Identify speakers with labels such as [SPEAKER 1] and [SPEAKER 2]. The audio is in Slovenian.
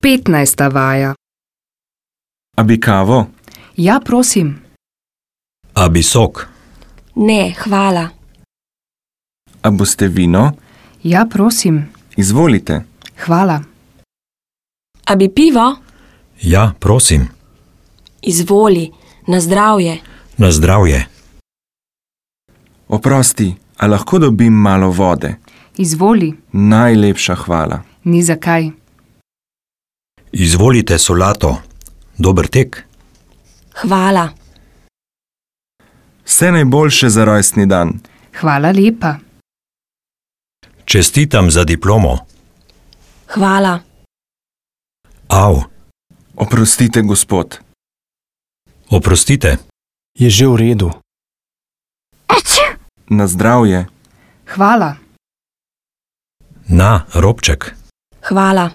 [SPEAKER 1] 15. vaja.
[SPEAKER 2] A bi kavo?
[SPEAKER 1] Ja, prosim.
[SPEAKER 3] A bi sok?
[SPEAKER 4] Ne, hvala.
[SPEAKER 2] A boste vino?
[SPEAKER 1] Ja, prosim.
[SPEAKER 2] Izvolite.
[SPEAKER 1] Hvala.
[SPEAKER 4] A bi pivo?
[SPEAKER 3] Ja, prosim.
[SPEAKER 4] Izvoli, na zdravje.
[SPEAKER 3] Na zdravje.
[SPEAKER 2] Oprosti, a lahko dobim malo vode?
[SPEAKER 1] Izvoli.
[SPEAKER 2] Najlepša hvala.
[SPEAKER 1] Ni zakaj.
[SPEAKER 3] Izvolite solato. Dober tek.
[SPEAKER 4] Hvala.
[SPEAKER 2] Vse najboljše za rojstni dan.
[SPEAKER 1] Hvala lepa.
[SPEAKER 3] Čestitam za diplomo.
[SPEAKER 4] Hvala.
[SPEAKER 3] Au.
[SPEAKER 2] Oprostite, gospod.
[SPEAKER 3] Oprostite.
[SPEAKER 5] Je že v redu.
[SPEAKER 2] Na zdravje.
[SPEAKER 1] Hvala.
[SPEAKER 3] Na, robček.
[SPEAKER 4] Hvala.